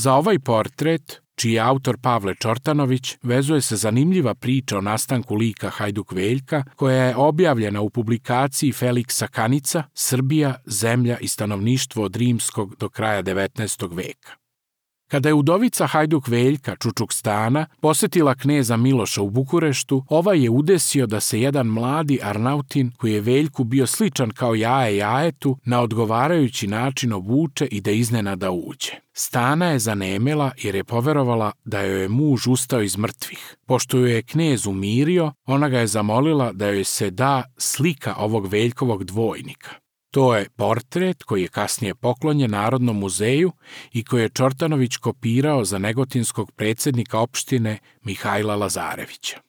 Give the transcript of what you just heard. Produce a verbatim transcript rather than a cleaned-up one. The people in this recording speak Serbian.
Za ovaj portret, čiji je autor Pavle Čortanović, vezuje se zanimljiva priča o nastanku lika Hajduk Veljka, koja je objavljena u publikaciji Feliksa Kanica Srbija, zemlja i stanovništvo od rimskog do kraja devetnaestog veka. Kada je udovica Hajduk Veljka Čučukstana posetila kneza Miloša u Bukureštu, ovaj je udesio da se jedan mladi Arnautin, koji je Veljku bio sličan kao jaje jajetu, na odgovarajući način obuče i da iznenada uđe. Stana je zanemela jer je poverovala da joj je muž ustao iz mrtvih. Pošto joj je knez umirio, ona ga je zamolila da joj se da slika ovog Veljkovog dvojnika. To je portret koji je kasnije poklonjen Narodnom muzeju i koji je Čortanović kopirao za negotinskog predsjednika opštine Mihajla Lazarevića.